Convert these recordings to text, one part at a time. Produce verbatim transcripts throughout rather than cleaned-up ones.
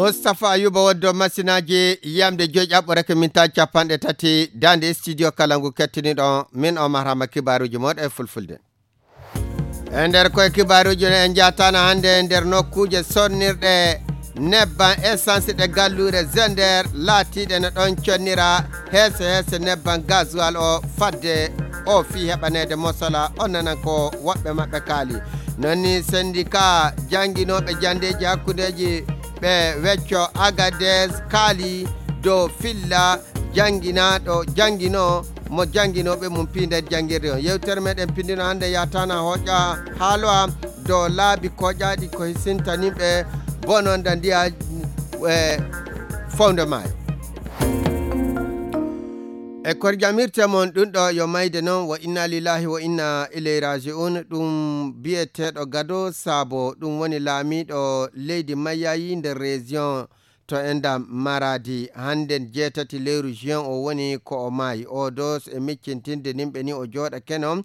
Mustapha Ayuba woddo masinaaji yamde joyi ƴaɓɓo reke min taji capanɗe tati daande studio kala ngu kettiniɗo min o mahrama kibaruji moɗo e fulfulde. E nder koye kibaruji no en jatana hannde e nder nokkuuje sonnirɗe nebban essence ɗe gallure Zender laatiiɗe no ɗon connira heese heese nebban gasoil o fadde o fii heɓaneede mosola on nanan ko woɓɓe maɓɓe kaali. Non ni syndicat jannginooɓe janndeeji hakkundeeji ɓe wecco Agadez kaali dow filla jannginaaɗo janngino mo jannginooɓe mum pii nder janngirde on. Yewtere meɗen pindino hannde yatana hoƴa haaloa dow laabi koƴaaɗi ko hisintaninɓe bononda ndiya e fowndo maayo. E kor jamirte mon ɗum ɗo yo mayde noon wo inna lillahi wo inna ilay raji'un ɗum biyeteeɗo gado saabo ɗum woni laamiiɗo leydi mayayi nder région to enda maradi hannden jeetati lewru juin o woni ko o maayi o dos e miccintinde nimɓe ni o jooɗa keno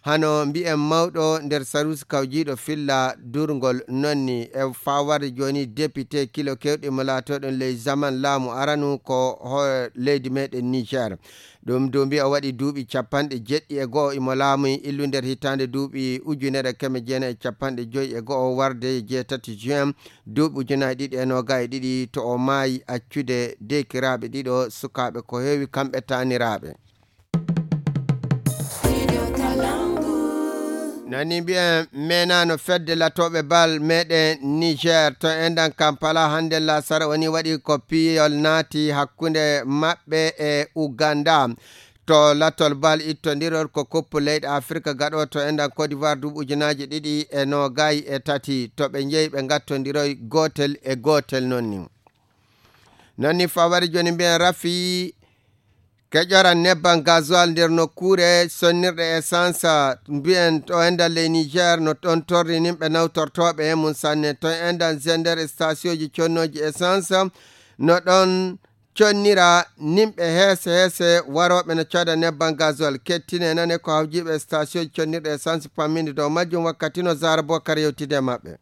hano mbiyen mawɗo nder sarusi kawjiiɗo filla durngol nonni e fawarde jooni député kilo kewɗi mo laatoɗon ley zaman laamu aranu ko ho leydi meɗen niger. Ɗum duumbi o waɗi duuɓi capanɗe jeɗɗi e go'o imo laamuyi illu nder hitaande duuɓi ujunere keme jeenayi e capanɗe joyi e go'o warde jeetati juin duuɓi ujunaaji ɗiɗi e noogaye ɗiɗi to o maayi accude deekiraaɓe ɗiɗo sukaaɓe ko heewi kamɓe taaniraaɓe. Nani mbiyen menano fedde latooɓe bal meɗen niger to endan kampala hannde lasara woni waɗi ko piyol naati hakkunde maɓɓe e uganda to latol bal ittondirol ko koppu leyɗe afirka gaɗo to endan côte d'ivoire duuɓi ujunaaji ɗiɗi e noogayi e tati to ɓe njeyi ɓe ngattondiroy gootel e gootel noon ni. Noon ni fawari jooni mbiyen rafi keƴoran nebban gasoil nder nokkuure sonnirɗe essence mbiyen to endan ley niger no ɗon torri nimɓe nawtortooɓe e mum sanne to endan gender stationji connooji essence no ɗon connira nimɓe heese heese warooɓe no cooda nebban gasoil kettine nane ko hawjiiɓe stationji connirɗe essence pamminde dow majjum wakkati no zara bokar yewtide e maɓɓe.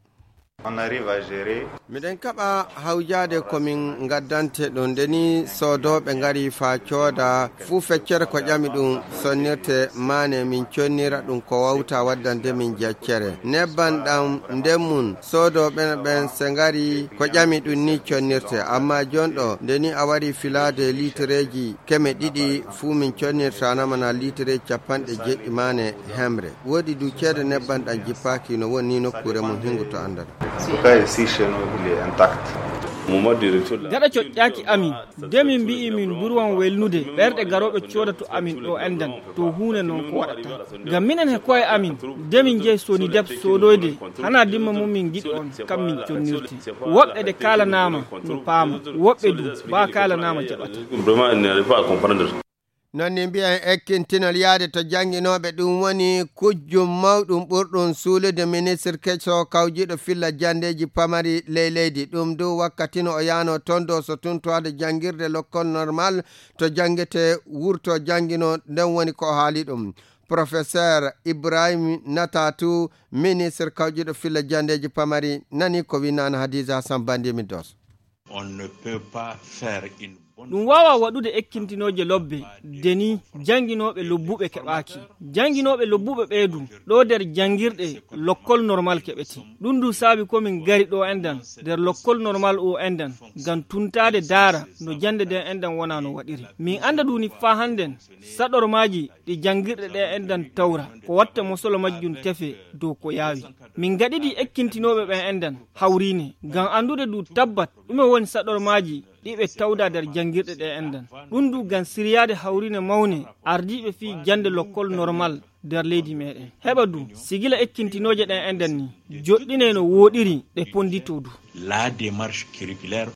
Miɗen kaɓa hawjaade ko min ngaddante ɗum nde ni soodooɓe ngari faa cooda fuu feccere ko ƴami ɗum sonnirte maane min connira ɗum ko wawta waddande min jaccere nebban ɗam nden mum soodooɓe ɓen se ngari ko ƴami ɗum ni connirte amma jonɗo nde ni a wari filaade litireeji keme ɗiɗi fuu min connirtanama na litireeji capanɗe jeɗɗi maane hemre. Woodi du ceede nebban ɗan jippaaki no woni ni nokkuure mum hingu to anndal. Gaɗa coƴƴaaki amin, de min mbi'i min mburwan welnude ɓerɗe garooɓe cooda to amin ɗo anndan to huunde non ko waɗata. Ngam minen he ko'e amin, de min njehi Sonidep soodoyde, hanaa dimma mum min ngiɗi on, kam min connirte. Woɓɓe de kaalanaama no paama, woɓɓe du baa kaalanaama jaɓataa. Noon ni mbiyen ekkintinol yahde to jannginooɓe ɗum woni kujjum mawɗum ɓurɗum suulude ministre keso kawjiiɗo filla janndeeji pamari ley leydi ɗum du wakkati no o yahno toon dow so tuntoade janngirde lokkol normal to janngete wurto janngino nden woni ko o haali ɗum. Professeur Ibrahim Natatu ministre kawjiiɗo filla janndeeji pamari nani ko winnaano Hadiza Hassan Bandimi Dos. On ne peut pas faire une bonne ɗum waawaa waɗude ekkintinooje lobbe de ni jannginooɓe lobbuɓe keɓaaki. Jannginooɓe lobbuɓe ɓee du ɗo nder janngirɗe lokkol normal keɓete. Ɗum du saabi ko min ngari ɗo enɗan nder lokkol normal o enɗan ngam tuntaade daara no jannde nden enɗan wona no waɗiri. Min annda du ni faa hannden saɗormaaji ɗi janngirɗe ɗe enɗan tawra ko watta mosolo majjum tefe dow ko yaawi. Min ngaɗidi ekkintinooɓe ɓen enɗan hawriine ngam anndude du tabbat ɗume woni saɗormaaji ɗi ɓe tawda nder janngirɗe ɗe enɗan. Ɗum du ngam siryaade hawriine mawne ardiiɓe fii jannde lokkol normal nder leydi meɗen. Heɓa du sigila ekkintinooje ɗen enɗan ni joɗɗinee no wooɗiri ɗe ponnditoo du. La démarche curriculaire.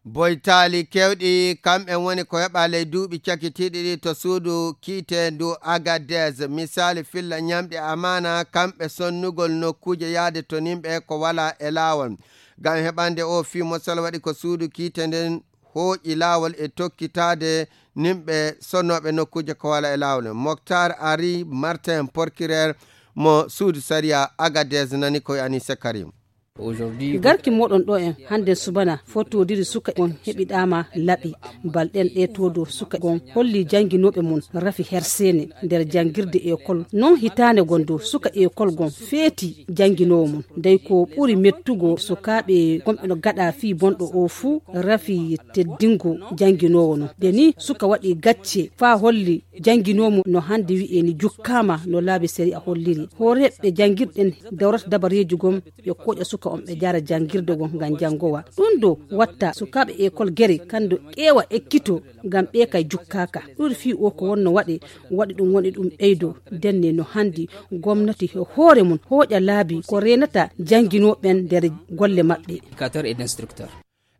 Boytaali kewɗi kamɓen woni ko heɓa ley duuɓi cakitiiɗi ɗi to suudu kiiteendu Agadez. Misaali filla ñamɗi amaana kamɓe sonnugol nokkuuje yahde to nimɓe ko wala e laawol. Ngam heɓande o fii mosal waɗi ko suudu kiite nden hooƴi laawol e tokkitaade nimɓe sonnooɓe nokkuuje ko wala e laawol. Moktar Ari Martin porkireer mo suudu sariya Agadez nani koye Anise Karim. Garki moɗon ɗo en hannde subana fotodiri suka on heɓiɗama laɓi. Balɗen ɗe todo suka on holli jannginooɓe mum rafi herseene nder janngirde ekol. Non hitaande gon dow suka ekol gon feeti jannginoowo mum. Dey ko ɓuri mettugo sukaaɓe gonɓe no gaɗa fii bonɗo o fuu rafi teddingo jannginoowo non. De ni suka waɗi gacce faa holli jannginoowo mum no hannde wi'e ni jukkaama no laabi sariya holliri. Hooreeɓe janngirɗen dawrata dabareeji gon ɓe koƴa suka on ɓe jara janngirde gon ngam janngowa. Ɗum ɗo watta sukaaɓe ekol gere kanndo ƴeewa ekkito ngam ɓe kay jukkaaka. Ɗuuɗi fii o ko wonno waɗe waɗi ɗum woni ɗum ɓeydo denne no hannde gomnati e hoore mum hooƴa laabi ko reenata jannginooɓe ɓen nder golle maɓɓe.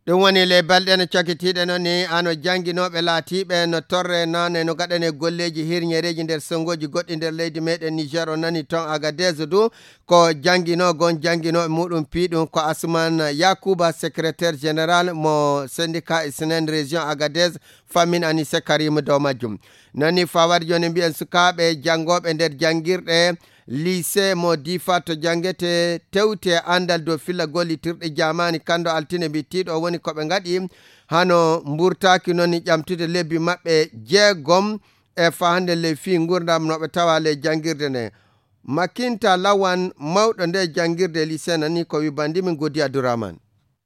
Ɗum woni ley balɗe no cakitiiɗe noon ni, ano jannginooɓe laatiiɓe no torre naane no gaɗane golleeji hirñereeji nder sonngoji goɗɗi nder leydi meɗen Niger. O nani toon Agadez du ko jannginoo gon jannginooɓe muɗum piiɗum ko Asuman Yakuba, secrétaire général mo syndicat Isnen région Agadez, fammin Anise Karim dow majjum. Noon ni fawade jooni mbiyen sukaaɓe janngooɓe nder janngirɗe lycée mo Difa to janngete tewte anndal dow filla gollitirɗe jaamaani kanndo altine mbittiiɗo o woni ko ɓe ngaɗi hano mburtaaki noon ni ƴamtude lebbi maɓɓe jeegom e fahande ley fii nguurndam no ɓe tawa ley janngirde nde. Makinta Lawan mawɗo nde janngirde lycée nani ko wibandi min Godi Abdourahmane.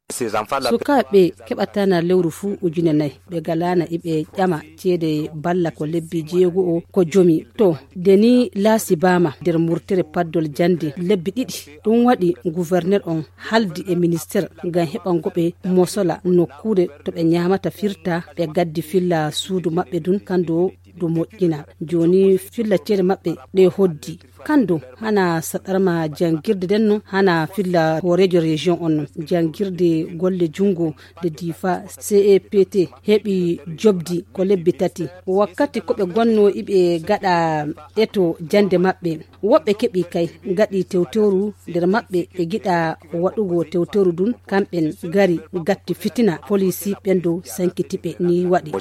Sukaaɓe keɓatana lewru fuu ujune nayi ɓe galaana iɓe ƴama ceede balla ko lebbi jeego o ko jomi to de ni laasi baama nder murtere paddol jannde lebbi ɗiɗi. Ɗum waɗi gouverneur on haldi e minister ngam heɓango ɓe mosola nokkuure to ɓe ñaamata firta ɓe gaddi filla suudu maɓɓe ndun kanndo ɗum moƴƴina. Jooni filla ceede maɓɓe ɗe hoddi kanndo hana saɗarma janngirde nden no hana filla hooreejo région on non janngirde golle junngo de Difa cept heɓi jobdi ko lebbi tati. Wakkati ko ɓe gonno iɓe gaɗa eto jannde maɓɓe woɓɓe keɓi kay gaɗi tewtewru nder maɓɓe ɓe giɗa waɗugo tewtewru ndun kamɓen gari gatti fitina polisi ɓen dow sankiti ɓe ni waɗi.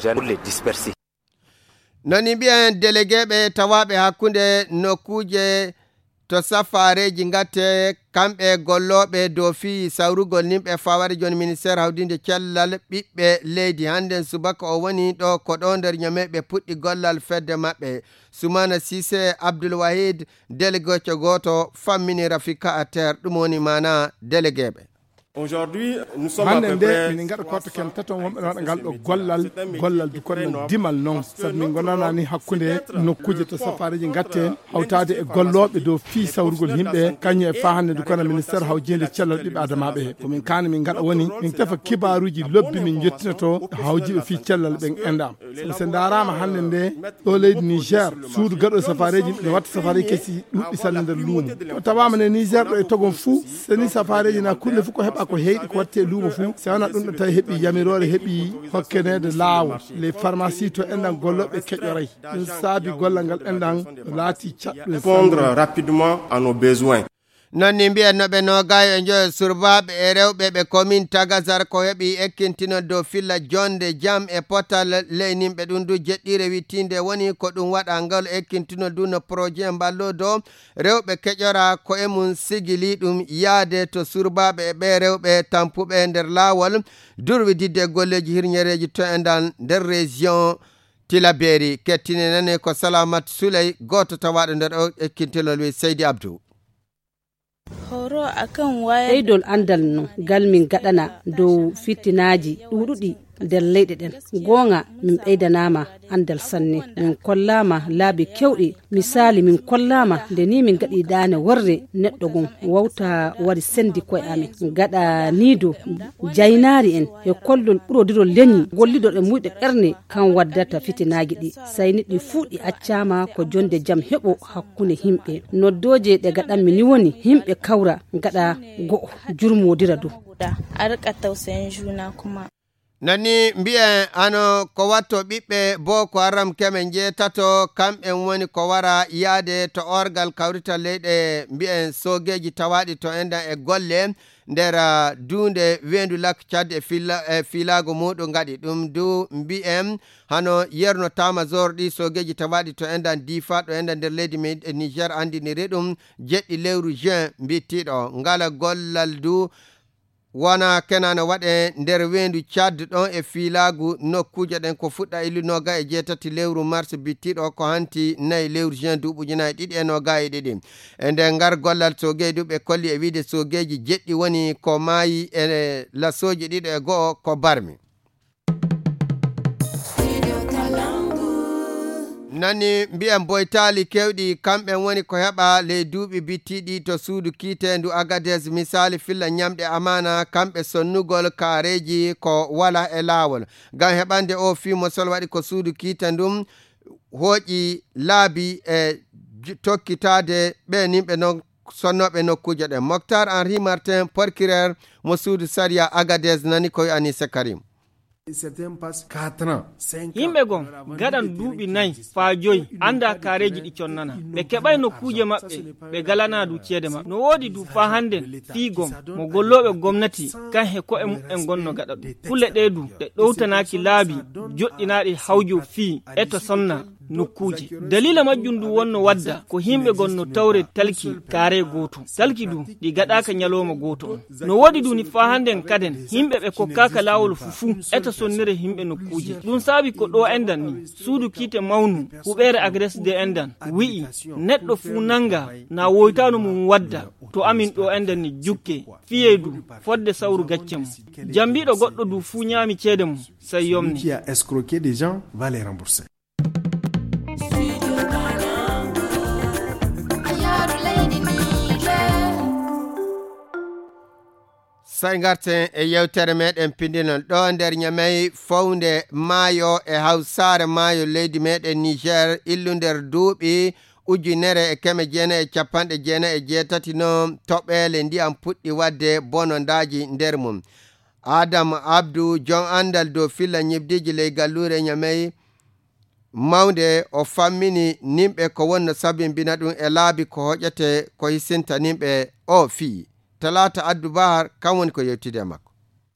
Nani mbiyen delegeeɓe tawaaɓe hakkunde nokkuuje to safaareeji ngatte kamɓe gollooɓe dow fii sawrugol nimɓe fawade jooni ministeer hawdinde cellal ɓiɓɓe leydi hannden subaka o woni ɗo ko ɗo nder ñame ɓe puɗɗi gollal fedde maɓɓe. Sumana Sise Abdul Wahid delegeejo gooto fammini Rafika Ater ɗum woni maana delegeeɓe. Hannde nde mini ngaɗa korte ken taton wonɓe waɗa ngal ɗo gollal gollal dukon no dimal noon sabu min gonana ni hakkunde nokkuuje to safareeji ngatte hawtaade e gollooɓe dow fii sawrugol yimɓe kañum e faa hannde dukana ministeer hawjinde cellal ɓiɓɓe adamaaɓe he ko min kaani min ngaɗa woni min tefa kibaaruuji lobbi min njottinoto hawjiiɓe fii cellal ɓen enɗam sabu so ndaaraama hannde nde ɗo leydi niger suudu gaɗo safareeji ne watta safareeji kesi ɗuɗɗi sanne nder luumo ko tawaama nde niger ɗo e togon fuu seni safareeji na kulle fuu ko heɓa ko heyɗi ko watte luumo fuu si wona ɗum ɗo tawi heɓi yamiroore heɓi hokkeneede laawol les pharmacie to enɗan gollooɓe keƴoray ɗum saabi gollal ngal enɗan laati caɗɗum répondre rapidement à nos besoins. Non ni mbiyen no ɓe nogayo e njoyo surbaaɓe e rewɓe ɓe commune tagazar ko heɓi ekkintinol dow filla jonde jam e potal leyninɓe ɗum du jeɗɗiire wittinde woni ko ɗum waɗa ngal ekkintinol du no projet mballodo rewɓe keƴora ko e mum sigili ɗum yaade to surbaaɓe e ɓe rewɓe tampuɓe nder laawol durwididde e golleeji hirñereeji to e ndan nder région tilaberi kettine nane ko salamat suley gooto tawaaɗo nder o ekkintinol wi seydi abdou. Ɓeydol anndal no ngal min gaɗana dow fitinaaji ɗuuɗuɗi nder leyɗe ɗen. Goonga min ɓeydanaama anndal sanne. Min kollaama laabi keewɗi. Misaali min kollaama nde nii min ngaɗi daane worre neɗɗo gon wawta wari senndi koye amen. Gaɗa nii dow jaynaari en e kollol ɓurodirol leñi golliɗo e muyɗe ɓerne kan waddata fitinaaji ɗi. Sayni ɗi fuu ɗi accaama ko jonnde jam heɓo hakkunde yimɓe. Noddooje ɗe gaɗanmi ni woni yimɓe kawra ngaɗa go'o jurmodira dow. A riƙa tausayin juna kuma. Nani mbiyen hano ko watto ɓiɓɓe Boko Haram keme njeetato, kamɓen woni ko wara yaade to orgal kawrital leyɗe mbiyen soogeeji tawaaɗi to enɗan e golle nder, ah, duunde weendu Lac Tchad e fila-, e fiilaagu muuɗum ngaɗi ɗum du mbiyen hano yerno tamazor ɗi soogeeji tawaaɗi to enɗan Difa ɗo enɗan nder leydi men e Niger anndiniri ɗum jeɗɗi lewru juin mbittiiɗo. Ngala gollal du wona kena no waɗe nder weendu Tchad ɗon e fiilaagu nokkuuje ɗen ko fuɗɗa illu nooga e jeetati lewru mars bittiiɗo ko hanti nayi lewru juin duuɓi ujunaaji ɗiɗi e nooga e ɗiɗi. E nder ngal gollal soogeeji du ɓe kolli e wiide soogeeji jeɗɗi woni ko maayi e lasooji ɗiɗo e go'o ko barmi. Nani mbiyen boytaali kewɗi, kamɓen woni ko heɓa ley duuɓi bittiiɗi to suudu kiiteendu Agadez, misaali filla ñamɗe amaana, kamɓe sonnugol kaareeji ko wala e laawol. Ngam heɓande o fii mo sol waɗi ko suudu kiite ndun hooƴi laabi e ju-, tokkitaade ɓe nimɓe non sonnooɓe nokkuuje ɗen. Moctar Henri Martin, procureur mo suudu sariya Agadez, nani ko wi'ani Sekarim. Yimɓe gon gaɗan duuɓi nayi faa joyi anndaa kaareeji ɗi connana. Ɓe keɓay nokkuuje maɓɓe, ɓe galanaa du ceede maɓɓe. No woodi du faa hannden fii gon mo gollooɓe gomnati kan he ko'e muɓɓen gon no gaɗa ɗum. Kulle ɗee du ɗe ɗowtanaaki laabi joɗɗinaaɗi hawjo fii e to sonna nokkuuje. Daliila majjum du wonno wadda ko yimɓe gon no tawre talki kaare gooto. Talki du ɗi gaɗaaka ñalooma gooto on. No woodi du ni faa hannden kaden yimɓe ɓe kokkaaka laawol fu fuu eto sonnire yimɓe nokkuuje. Ɗum saabi ko ɗo enɗan ni suudu kiite mawnu huɓeere Agres de enɗan wi'i neɗɗo fuu nannga na woytaano mum wadda to amin ɗo enɗan ni jukke fiyee du fodde sawru gacce mum. Jambiiɗo goɗɗo du fuu ñaami ceede mum, sey yomni. Qui a escroqué des gens va les rembourser. Sey ngarten e yewtere meɗen pinndinol ɗo nder Ñamey, fownde maayo e hawsaare maayo leydi meɗen Niger, illu nder duuɓi ujunere e keme jeenayi e capanɗe jeenayi e jeetati no toɓeele ndiyam puɗɗi waɗde bonondaaji nder mum. Adam Abdu, jom anndal dow filla ñibdiiji ley galluure Ñamey, mawnde, o fammini nimɓe ko wonno sabimbina ɗum e laabi ko hoƴete ko hisinta nimɓe o fii. Talaata Addu Bahar, kam woni ko yewtide e makko.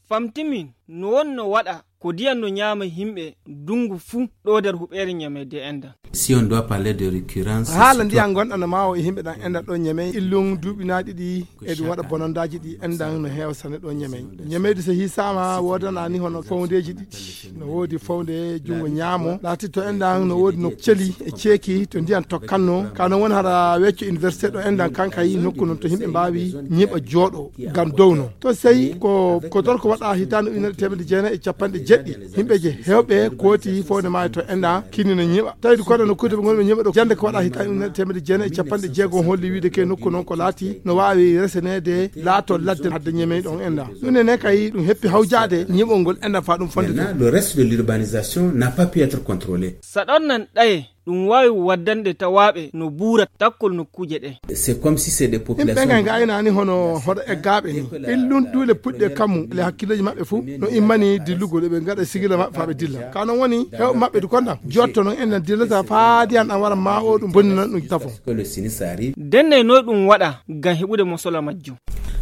Famtimin no wonno waɗa ko diyan no ñaama yimɓe ndungu fuu ɗo nder huɓeere Ñamey de enɗan. Si on doit parler de récurrence, haala ndiyan gonɗan no maawo e yimɓe ɗan enɗan ɗo Ñamey, illun duuɓinaaɗi ɗi e ɗum waɗa bonondaaji ɗi enɗan no heewa sane ɗo Ñamey. Ñamey de so hisaama woodana ni hono fowndeeji ɗiɗi. No woodi fownde junngo ñaamo, laati to enɗan no woodi no celi e ceeki to ndiyan tokkanno. Ka non woni hara wecco université ɗo enɗan kankay nokku non to yimɓe mbaawi ñiɓa jooɗo ngam downo. To sey ko, ko torko waɗa hitaande ujunere teemedde jeenayi e capanɗe jeɗɗi. Yimɓe je heewɓe kooti fownde maayo to enɗan kinni no ñiɓa. Tawi du kono no kuude ɓe ngonɓe ñiɓa ɗo jannde ko waɗa hitaande ujunere teemedde jeenayi e capanɗe jeego on holli wiide ke nokku non ko laati no waawi reseneede laato ladde hadde Ñamey ɗon enɗan. Ɗum ne kay ɗum heppi hawjaade ñiɓol ngol enɗan faa ɗum fonde. Maintenant, le reste de l'urbanisation n'a pas pu être contrôlé. Saɗon nan ɗaye ɗum waawi waddande tawaaɓe no buura takkol nokkuuje ɗe. C'est comme si c'est des populations. Yimɓe ɓen kay ngaynaani hono hoɗo eggaaɓe ni. Illun duule puɗɗe kammu le hakkilleeji maɓɓe fuu no immani dillugol, eɓe ngaɗa sigila maɓɓe faa ɓe dilla. Ka non woni heewɓe maɓɓe du konɗan jotto non enɗan dillata faa ndiyan ɗan wara maa o ɗum bonninan ɗum tafo. Parce que le sinistre arrive. Denne noy ɗum waɗa ngam heɓude mosola majjum.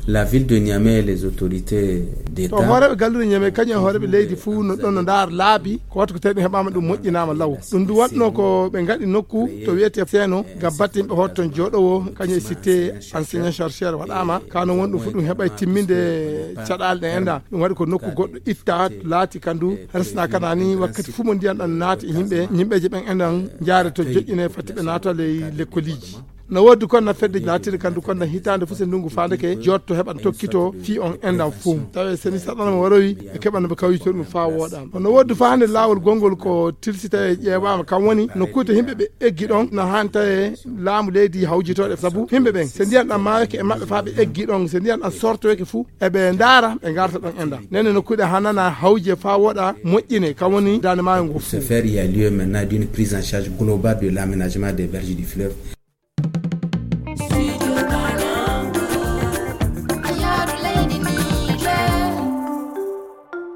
La ville de Niamey et les autorités d'État. To hooreeɓe galluure Ñamey kañum e hooreeɓe leydi fuu no ɗon no ndaara laabi ko wattu ko tawi ɗum heɓaama ɗum moƴƴinaama law. Ɗum du waɗno ko ɓe ngaɗi nokku to wiyetee Seeno ngam batte yimɓe hoto ton jooɗowo kañum e cité enseignant chercheur waɗaama. Ka non woni ɗum fuu ɗum heɓay timminde caɗaale ɗen enɗan. Ɗum waɗi ko nokku goɗɗo itta laati kan du resna kana ni wakkati fuu mo ndiyan ɗan naati e yimɓe, yimɓeeje ɓen enɗan njaare to joƴƴine fatti ɓe naata ley lekkoliiji. No woodi kon na fedde laatiri kan du kon na hitaande fuu se ndungu faandeke jotto heɓan tokkito fii on enɗan fuu. Tawe seni saɗana mo warowi e keɓan ɓe kawjito ɗum faa wooɗa. No woodi faa hannde laawol gonngol ko tilsita e ƴeewaama kan woni no kuute yimɓe ɓe eggi ɗon na haani tawe laamu leydi hawjitooɗe sabu yimɓe ɓen se ndiyan ɗan maayake e maɓɓe faa ɓe eggi ɗon se ndiyan ɗan sortoyake fuu eɓe ndaara ɓe ngarta ɗon enɗan. Nene no kuuɗe hanana hawje faa wooɗa moƴƴine kan woni daande maayo ngo fuu. Se faire, il y a lieu maintenant d'une prise en charge globale de l'aménagement des berges du fleuve.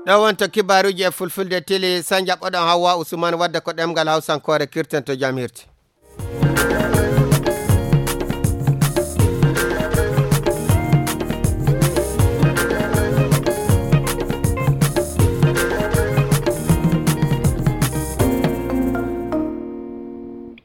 Ɗo wonto kibaaruuji e fulfulde tili, sa njaɓɓoɗon Hawwa Usman wadde ko ɗemngal Hawsankoore kirten to jam hirti.